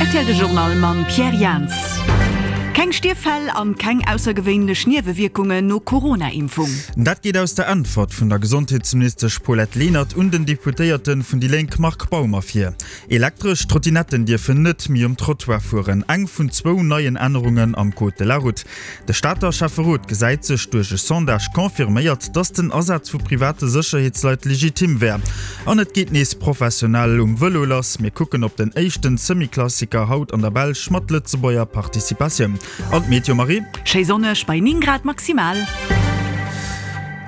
Rtl De Journal mam Pierre Jans. Keng Stierffäll an keng aussergewéinlech Niewewierkungen no Corona-Impfung. Dat geet aus der Äntwert vun der Gesondheetsministesch Paulette Lenert un den Deputéierte vun déi Lénk Marc Baum ervir. Elektresch Trottinetten dierfen net méi um Trottoir fueren, eng vun zwou neien Ännerungen am Code de la Route. De Stater Schäfferot gesäit sech duerch e Sondage confirméiert, datt den Asaz vu private Sécherheetsleit legitim wär. An et geet nees professionell um Vëlo lass. Mir kucken op den éischten Semi-Klassiker haut an der Belsch mat Lëtzebuerger Participatioun. An d'Meteo, Marie? Schéi sonneg bei 9 Grad maximal.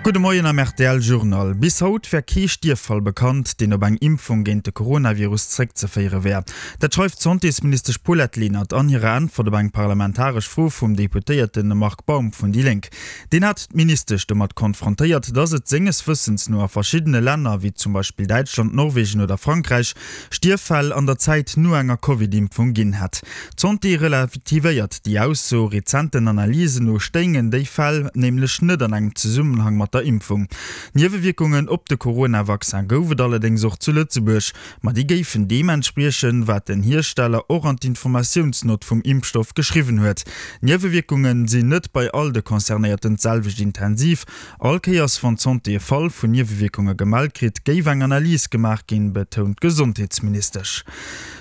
Gudde Moien am rtl Journal. Bis haut wär kee Stierffall bekannt, deen op eng Impfung géint de Coronavirus zréckzeféiere wär. Dat schreift d'Santésministesch Paulette Lenert an hirer Äntwert op eng parlamentaresch Fro vum Deputéierte Marc Baum vun déi Lénk. Deen hat d'Ministesch domat konfrontéiert, datt et senges Wëssens no a verschiddene Länner, wéi zum Beispill Däitschland, Norwegen oder Frankräich, Stierffäll an der Zäit no enger Covid-Impfung ginn hätt. D'Santé relativéiert déi Ausso. Rezenten Analysen no stéingen déi Fäll nämlech net an engem Zesummenhang mat der Impfung. Niewewierkungen op de Corona-Vaccin gouf et allerdéngs och zu Lëtzebuerg. Ma déi géifen deem entspriechen, wat den Hiersteller och an d'Informatiounsnott vum Impfstoff geschriwwen huet. D'Niewewierkunge sinn net bei all de Concernéierten d'selwecht intensiv. All Kéiers wann d'Santé e Fall vun Niewewierkunge gemellt kritt, géif eng Analys gemaach ginn, betount d'Gesondheetsministesch.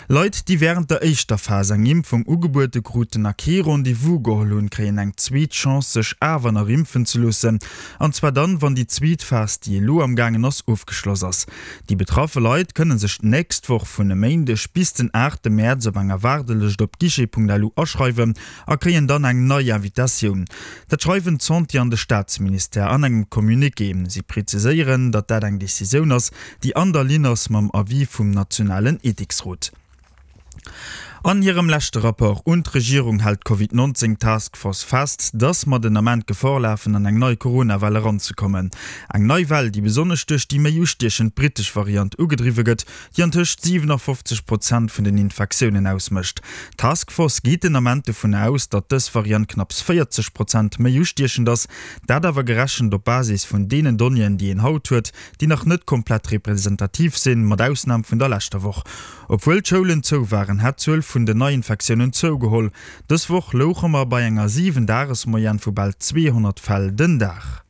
Leit, déi wärend der éischter Phas eng Impfung ugebuede kruten a kee Rendez-vous geholl hunn, kréien eng zweet Chance, sech awer nach impfen ze loossen. An zwar dann, wann déi zweet Phas, déi elo am gaangen ass, ofgeschloss ass. Déi betraffe Leit kënne sech d'nächst Woch vun e Méindeg bis den aachte Mäerz op enger Waardelëscht op guichet.lu aschreiwen a kréien dann eng nei Invitatioun. Dat schreiwen d'Santé an de Staatsministère an engem Communiqué. Si preziséieren, datt dat eng Decisioun ass, déi an der Linn ass mam Avis vum nationalen Ethiksrot. An hirem leschte Rapport un d'Regierung hält d'Covid 19 Task Force fest, datt mer den Ament Gefor lafen, an eng nei Corona-Well eranzekommen. Eng nei Well, déi besonnesch duerch déi méi ustiechend brittesch Variant ugedriwwe gëtt, déi antëscht 57 Prozent vun den Infektiounen ausmécht. D'Task Force geet den Ament dovun aus, datt dës Variant knapps 40 Prozent méi ustiechend ass, dat awer gerechent op Basis vun deenen Donnéeën, déi een haut huet, déi nach net komplett representativ sinn, mat Ausnam vun der leschter Woch. Obwuel d'Schoulen zou waren, hätt d'Zuel vun den Neiinfektiounen zougeholl. Dës Woch louche mer bei enger 7 Dages-Moyenne vu bal 200 Fäll den Dag.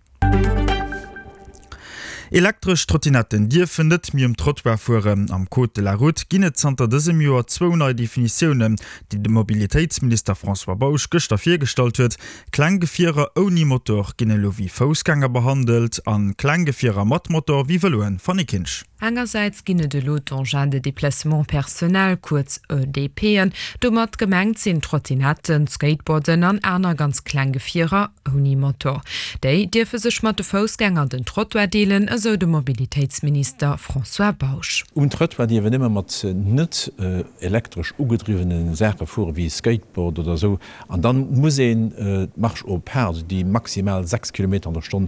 Elektresch Trottinetten dierfen net méi um Trottoir fueren. Am Code de la Route ginn et zanter dësem Joer zwou nei Definitiounen, déi de Mobilitéitsminister François Bausch gëschter virgestallt huet. Kleng Gefierer ouni Motor ginn elo wéi Foussgänger behandelt a kleng Gefierer mat Motor wéi Vëloen. Fanny Kinsch. Engersäits ginn et elo d'Engins de déplacement personnel, kuerz EDPen. Domat gemengt sinn Trottinetten, Skateboarden an aner ganz kleng Gefierer ouni Motor. Déi dierfe sech mat de Foussgänger den Trottoir deelen, esou de Mobilitéitsminister François Bausch. Um Trottoir dierf een ëmmer mat net elektresch ugedriwwene Saache fueren, wéi e Skateboard oder esou. An dann muss een d'Marche au pas, also déi maximal 6 Kilometer an der Stonn,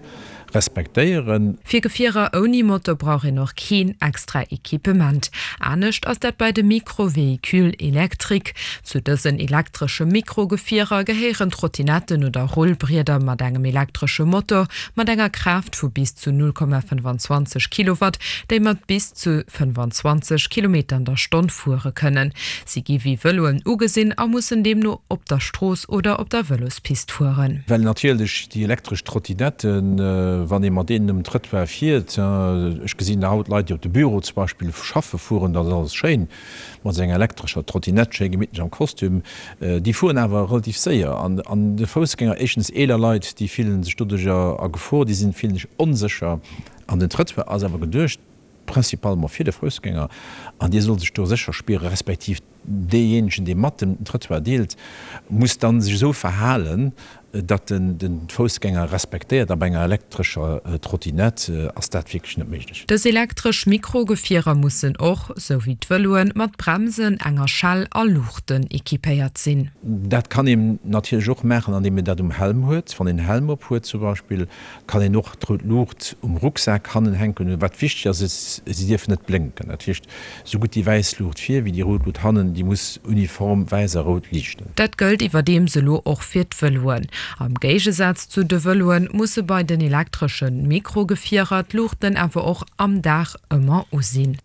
respektéieren. Fir Gefierer ouni Motor brauch een och keen extra Equipement. Anescht ass dat bei de Micro-Véhicules électriques. Zu dësen elektresche Mikro-Gefierer gehéieren Trottinetten oder Rullbrieder mat engem elektresche Motor mat enger Kraaft vu bis zu 0,25 Kilowatt, déi mat bis zu 25 Kilometer an der Stonn fuere kënnen. Si gi wéi Vëloen ugesinn a mussen deemno op der Strooss oder op der Vëlospist fueren. Well natierlech déi elektresch Trottinetten, wann ee mat deenen um Trëttoir fiert, ech gesinn haut Leit, déi op de Büro zum Beispill schaffe fueren, dat ass alles schéin, mat esou enger elektrescher Trottinett, schéi gemittlech am Kostüm, déi fueren awer relativ séier. An de Foussgänger, éischtens eeler Leit, déi fillen sech doduercher a Gefor, déi sinn, fillen sech onsécher. An den Trëttoir ass awer geduecht principalement fir de Foussgänger, an dee soll sech do sécher spieren, respektiv deejéinegen, dee mat dem den Trëttoir deelt, muss dann sech esou verhalen, datt en den Foussgänger respektéiert. A bei enger elektrescher Trottinette ass dat wierklech net méiglech. Dës elektresch Mikrogefierer mussen och, sou wéi d'Vëloen, mat Bremsen, enger Schell a Luuchten equipéiert sinn. Dat kann een natierlech och maachen, andeem een dat um Helm huet. Wann een en Helm op huet zum Beispill, Kann een och d'rout Luucht um Rucksak hannen hänken hunn. Wat wichteg ass, is, si dierfen net blénken. Dat heescht, esou gutt déi wäiss Luucht vir wéi déi rout Luut hannen, déi muss uniform wäiss a rout liichten. Dat gëllt iwwerdeems elo och fir d'Vëloen. Am Géigesaz zu de Vëloen musse bei den elektresche Mikrogefierer d'Luuchten awer och am Dag ëmmer u sinn.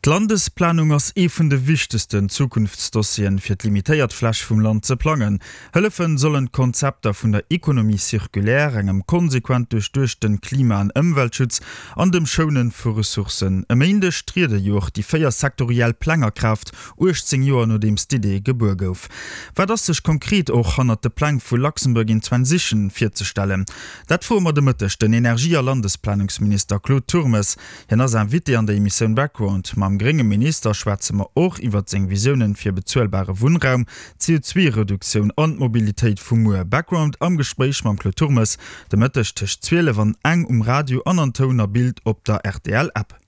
D'Landesplanung ass ee vun de wichtegsten Zukunftsdossieren, fir d'limitéiert Fläch vum Land ze plangen. Hëllefen sollen d'Konzepter vun der Économie circulaire, engem konsequent duerchduechten Klima an Ëmweltschutz an dem Schounen vu Ressourcen. E Méindeg triede jo och déi 4 sektoriell Pläng a Kraaft, 18 Joer nodeems d'Idee gebuer gouf. Wat ass sech konkret och hannert de Pläng vu Luxembourg in Transition virzestellen? Dat froe mer de Mëtteg den Energie a Landesplanungsminister Claude Turmes. Hien ass Invité an der Emissioun Background. Mam grénge Minister schwätze mer och iwwert seng Visiounen fir bezuelbare Wunnraum, d'CO2-Reduktioun an d'Mobilitéit vu muer. Background am Gespréich mam Claude Turmes de Mëtteg tëscht 12 an eng um Radio an an Toun a Bild op der RTL-App.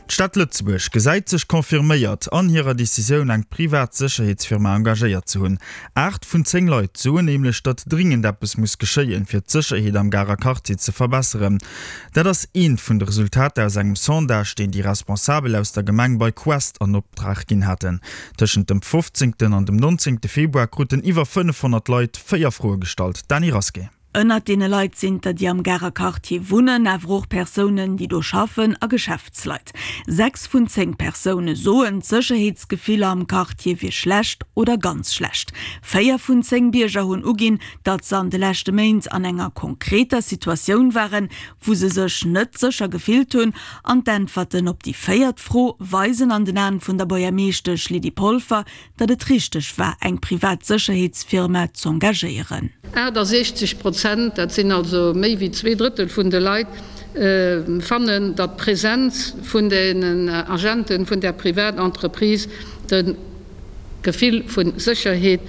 D'Stad Lëtzebuerg gesäit sech confirméiert an hirer Decisioun, eng privat Sécherheetsfirma engagéiert ze hunn. 8 vun 10 Leit soen nämlech, datt dringend eppes muss geschéien, fir d'Sécherheet am Garer Quartier ze verbesseren. Dat ass eent vun de Resultater aus engem Sondage, deen déi Responsabel aus der Gemeng bei Quest an Optrag ginn haten. Tëschent dem 15. an dem 19. Februar kruten iwwer 500 Leit 4 Froe gestallt. Dany Rasqué. Ënnert deene Leit sinn der, déi am Garer Quartier wunnen, awer och Persounen, déi do schaffen a Geschäftsleit. 6 vun 10 Persoune soen, d'Sécherheetsgefiller am Quartier wier schlecht oder ganz schlecht. 4 vun 10 Bierger hunn uginn, datt se an de leschte Méint an enger konkreter Situatioun waren, wou se sech net sécher gefillt hunn. An d'Äntwerten op déi véiert Fro weisen an den Aen vun der Buergermeeschtesch Lydie Polfer, datt et richteg war, eng privat Sécherheetsfirma z'engagéieren. 68 Prozent, dat sinn also méi wéi zweedrëttel vun de Leit, fannen, datt d'Presenz vun den Agenten vun där Privatentreprise de Gefill vu Sécherheet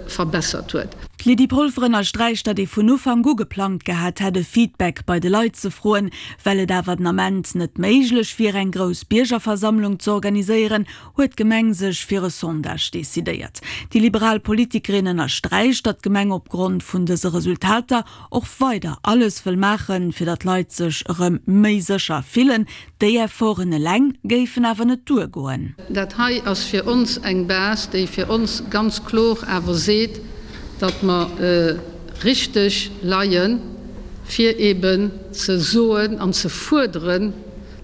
verbessert huet. D'Lydie Polfer ënnersträicht, datt ee vun Ufank u geplangt gehat hätt, e Feedback bei de Leit ze froen. Well et awer den Ament net méiglech wier, eng grouss Biergerversammlung ze organiséieren, huet d'Gemeng sech fir e Sondage decidéiert. Déi liberal Politikerin ënnersträicht, datt d'Gemeng opgrond vun dëse Resultater och weider alles wëll maachen, fir datt d'Leit sech erëm méi sécher fillen. Déi Efforten eleng géifen awer net duergoen. Dat hei ass fir ons eng Base, déi fir ons ganz klor awer seet, datt mer richteg leien, fir eeben ze soen an ze fuerderen,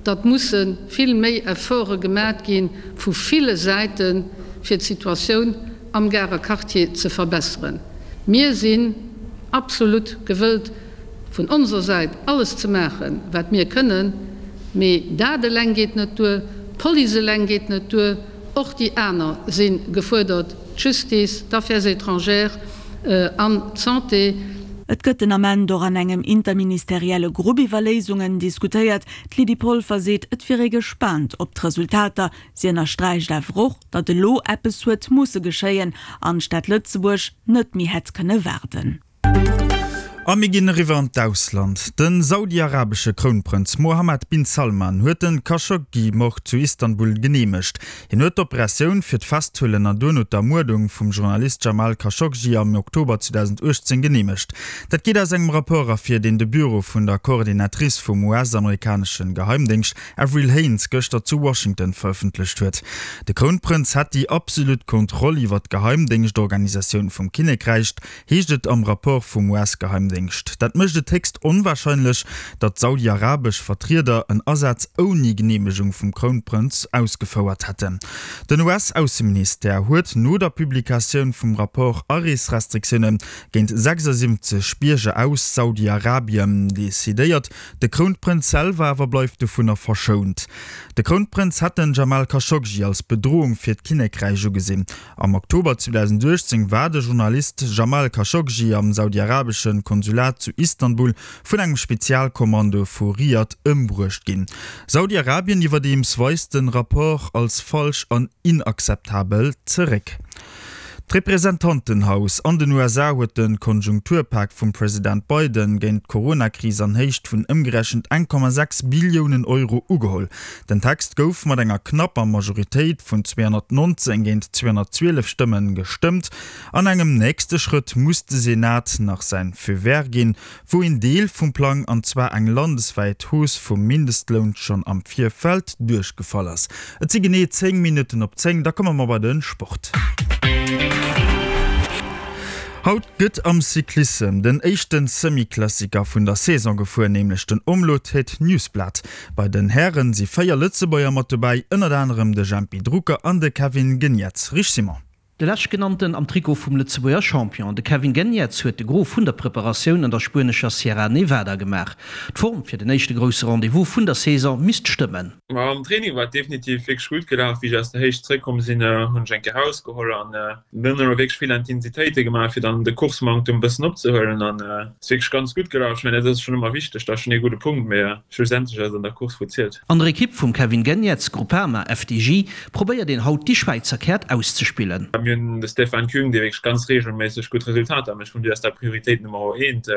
datt musse vill méi Efforte gemat gi vu ville Säite fir d'Situatioun am Garer Quartier ze verbesseren. Mir sinn absolut gewëllt vun onser Säit alles ze maachen, wat mir kënnen, mee dat eleng geet net duer, d'Police eleng geet net duer, och déi aner si gefuerdert, d'Justice, d'Affaires étrangères an d'Santé. Et gëtt den Ament och an engem interministerielle Grupp iwwer Léisungen diskutéiert. D'Lydie Polfer seet, et wier ee gespaant op d'Resultater. Si ënnersträicht awer och, datt elo eppes huet musse geschéien an d'Stad Lëtzebuerg net méi hätt kënne waarden. A mir ginn eriwwer an d'Ausland. De saudi-arabesche Krounprënz Mohammed bin Salman huet den Khashoggi-Mord zu Istanbul geneemegt. Hien huet d'Operatioun fir d'Festhuelen an duerno d'Ermuerdung vum Journalist Jamal Khashoggi am Oktober 2018 geneemegt. Dat geet aus engem Rapport ervir, deen de Büro vun der Coordinatrice vum US-amerikanesche Geheimdéngscht Avril Haines gëschter zu Washington verëffentlecht huet. De Krounprënz hätt déi absolut Kontroll iwwer d'Geheimdéngschtorganisatioun vum Kinnekräich, heescht et am Rapport vum US-Geheimdéngscht. Dat mécht et héchst onwarscheinlech, datt saudi-arabesch Vertrieder en Asaz ouni Geneemegung vum Krounprënz ausgefouert hätten. Den US-Ausseministère huet no der Publikatioun vum Rapport Areesrestriktioune géint 76 Bierger aus Saudi-Arabien decidéiert. De Krounprënz selwer awer bleift dovunner verschount. De Krounprënz hätt den Jamal Khashoggi als Bedroung fir d'Kinnekräich ugesinn. Am Oktober 2018 war de Journalist Jamal Khashoggi am saudiarabesche Konsulat zu Istanbul vun engem Spezialkommando vu Riad ëmbruecht ginn. Saudi-Arabien iwwerdeems weist de Rapport als falsch an inakzeptabel zeréck. D'Representantenhaus an den USA huet de Konjunkturpak vum President Biden géint d'Coronakris an Héicht vun ëmgerechent 1,6 Billiounen Euro ugeholl. Den Text gouf mat enger knapper Majoritéit vun 219 géint 212 Stëmme gestëmmt. An engem nächste Schrëtt muss de Senat nach säin Feu vert ginn, wou een Deel vum Plang, an zwar eng landeswäit Hausse vum Mindestloun, schonn am Virfeld duerchgefall ass. Et si genee 10 Minutten op 10, da komme mer bei de Sport. Haut gëtt am Cyclissem den éischte Semi-Klassiker vun der Saison gefuer, nämlech den Omloop Het Nieuwsblad. Bei den Hären si 4 Lëtzebuerger mat dobäi, ënnert anerem de Jempy Drucker an de Kevin Geniets. Rich Simon. De leschtgenannten am Trikot vum Lëtzebuerger Champion, de Kevin Geniets huet de Gros vun der Preparatioun an der spuenescher Sierra Nevada gemaach. D'Form fir den éischte grousse Rendez-vous vun der Saison misst stëmmen. Ma am Training war et definitiv wierklech gutt gelaf. Wéi ech aus der Héicht zeréckkomm sinn, hunn ech eng Kéier Haus geholl an mir hunn elo wierklech vill Intensitéite gemaach, fir dann de Course-Manktum e bëssen opzehuelen an et ass wierklech ganz gutt gelaf. Ech mengen, dat ass schonn ëmmer wichteg, dat ass schonn ee gudde Punkt, mee schlussendlech ass et an der Course wou zielt. An der Ekipp vum Kevin Geniets, Groupama, FDJ, Probéiert een haut déi Schwäizer Käert auszespillen. Mir hunn de Stefan Küng, dee wierklech ganz reegelméisseg gutt Resultater mécht. Vun duer ass dat Prioritéit Nummer eent,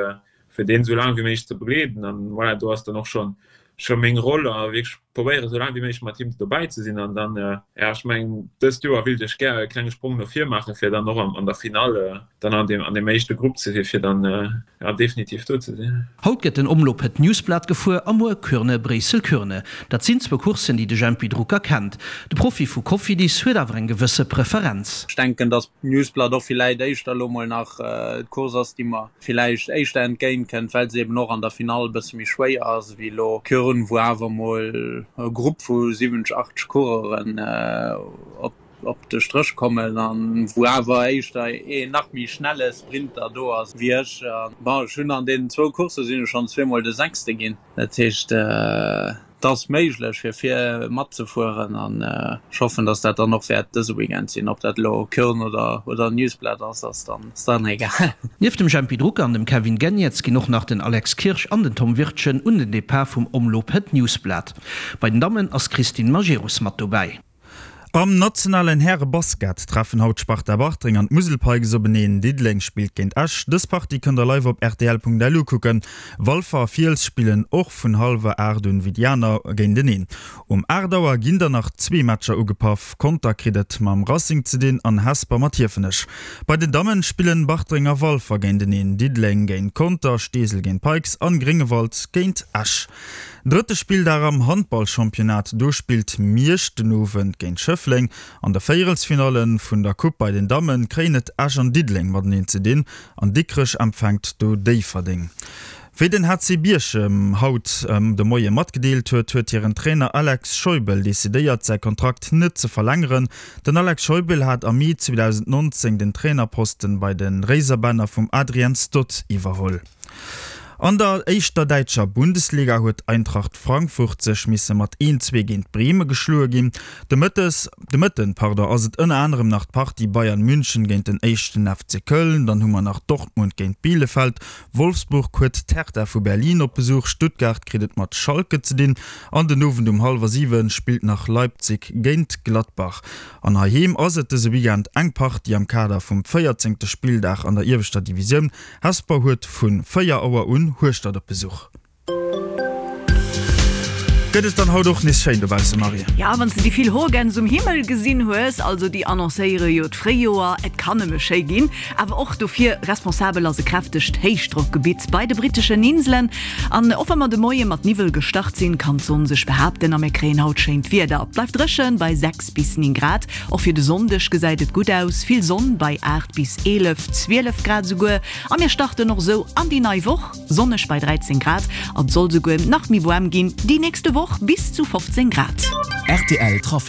fir deen esou laang wéi méiglech ze begleeden. An voilà, do ass dann och schonn scho meng Roll a wierklech probéieren, esou laang wéi méiglech mat him dobäi ze sinn. An dann, jo, ech mengen, dëst Joer wéilt ech gär e klenge Sprong no vir maachen, fir dann och an der Finall dann an deem an deem éischte Grupp ze sinn, fir dann, jo, definitiv do ze sinn. Haut gëtt den Omloop Het Nieuwsblad gefuer a muer Kuurne-Bréissel-Kuurne. Dat sinn zwou Courssen, déi de Jempy Drucker kennt. De Profi vu Cofidis huet awer eng gewësse Preferenz. Ech denken, datt d'Newsblad och villäit éischter elo mol nach d'Course ass, déi mer villäicht éischter entgéint kënnt, well se eben och an der Finall e bësse méi schwéier ass ewéi elo Kuurne, wou awer mol e Grupp vu 70, 80 Coureuren op op de Stréch kommen an wou awer éischter een nach méi schnelle Sprinter do ass wéi ech. Bon, ech hunn an deenen zwou Coursse sinn ech schonn zweemol de Sechste ginn. Dat heescht, et ass méiglech fir vir matzefueren an ech hoffen, datt dat dann och wäert dëse Weekend sinn. Ob dat elo Köln oder oder Nieuwsblad ass, ass dann ass dann egal. Nieft dem Jempy Drucker an dem Kevin Geniets ginn och nach den Alex Kirsch an den Tom Wirtgen un den Depart vum Omloop Het Nieuwsblad. Bei den Dammen ass d'Christine Majerus mat dobäi. Am nationalen Häre-Basket treffen haut d'Sparta Bartreng an d'Musel Pikes openeen. Diddeleng spillt géint Esch. Dës Partie kënnt der live op rtl.lu kucken. Walfer a Fiels spillen och vun hallwer 8 un wéi déi aner géinteneen. Um 8 Auer ginn der nach zwee Matcher ugepaff. Conter kritt et mam Racing ze dinn an Hesper mat Hiefenech. Bei den Dammen spillen Bartreng a Walfer géinteneen, Diddeleng géint Conter, Steesel géint Pikes an Gréngewald géint Esch. Drëtte Spilldag am Handballchampionnat, do spillt Miersch den Owend géint Schëffleng. An der Véierelsfinalle vun der Coupe bei den Damme kréien et Esch an Diddeleng mateneen ze dinn an Dikrech empfänkt do Déifferdeng. Wéi den HC Bierchem haut de Moie matgedeelt huet, huet hiren Trainer Alex Scheubel decidéiert säi Kontrakt net ze verlängeren. Den Alex Scheubel hat am Mee 2019 den Trainerposten bei de Réiserbänner vum Adrian Stott iwwerholl. An der éischter däitscher Bundesliga huet Eintracht Frankfurt sech misse mat 1, 2 géint Breme geschloe ginn. De Mëttes, de Mëtten, pardon, ass et ënner anerem nach d'Partie Bayern München géint den éischten FC Köln, dann hu mer nach Dortmund géint Bielefeld, Wolfsburg huet d'Hertha vu Berlin op Besuch, Stuttgart kritt et mat Schalke ze dinn an den Owend um hallwer 7 spillt nach Leipzig géint Gladbach. An heiheem ass et dëse Weekend eng Partie am Kader vum 14. Spilldag an der ieweschter Divisioun. Hesper huet vu 4 Auer un Hueschtert op Besuch. Gëtt et dann haut och nees schéin dobausse, Marie? Ja, wann s de déi vill Hoergäns um Himmel gesinn hues, also déi annoncéiere jo d'Fréijoer, et kann nëmme schéi ginn. Awer och dofir responsabel ass e kräftegt Héichdrockgebitt bei de britteschen Inselen. An och wa mer de Moie mat Niwwel gestart sinn, kann d'Sonn sech behaapten a mir kréien haut schéint Wieder. Et bleift dréchen bei 6 bis 9 Grad. Och fir de Sonndeg gesäit et gutt aus, vill Sonn bei 8 bis 11, 12 Grad esouguer. A mir starten och esou an déi nei Woch, sonneg bei 13 Grad an et soll esouguer nach méi waarm ginn déi nächste Woch, bis zu 15 Grad. Rtl Trafic.